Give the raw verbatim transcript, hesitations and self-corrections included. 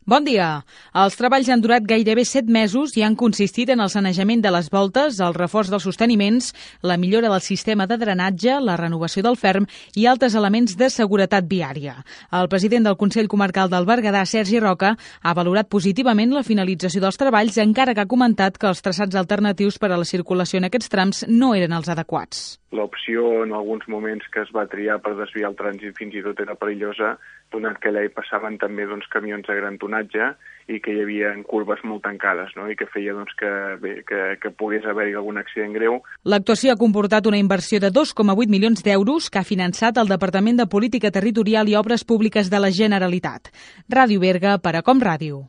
Bon dia. Els treballs han durat gairebé set mesos i han consistit en el sanejament de les voltes, el reforç dels sosteniments, la millora del sistema de drenatge, la renovació del ferm i altres elements de seguretat viària. El president del Consell Comarcal del Berguedà, Sergi Roca, ha valorat positivament la finalització dels treballs, encara que ha comentat que els traçats alternatius per a la circulació en aquests trams no eren els adequats. L'opció en alguns moments que es va triar per desviar el trànsit fins i tot era perillosa, donat que allà hi passaven també doncs, camions de gran tonatge i que hi havia curves molt tancades, no? I que feia doncs, que, bé, que, que pogués haver-hi algun accident greu. L'actuació ha comportat una inversió de dos coma vuit milions d'euros que ha finançat el Departament de Política Territorial i Obres Públiques de la Generalitat. Ràdio Berga per a Com Ràdio.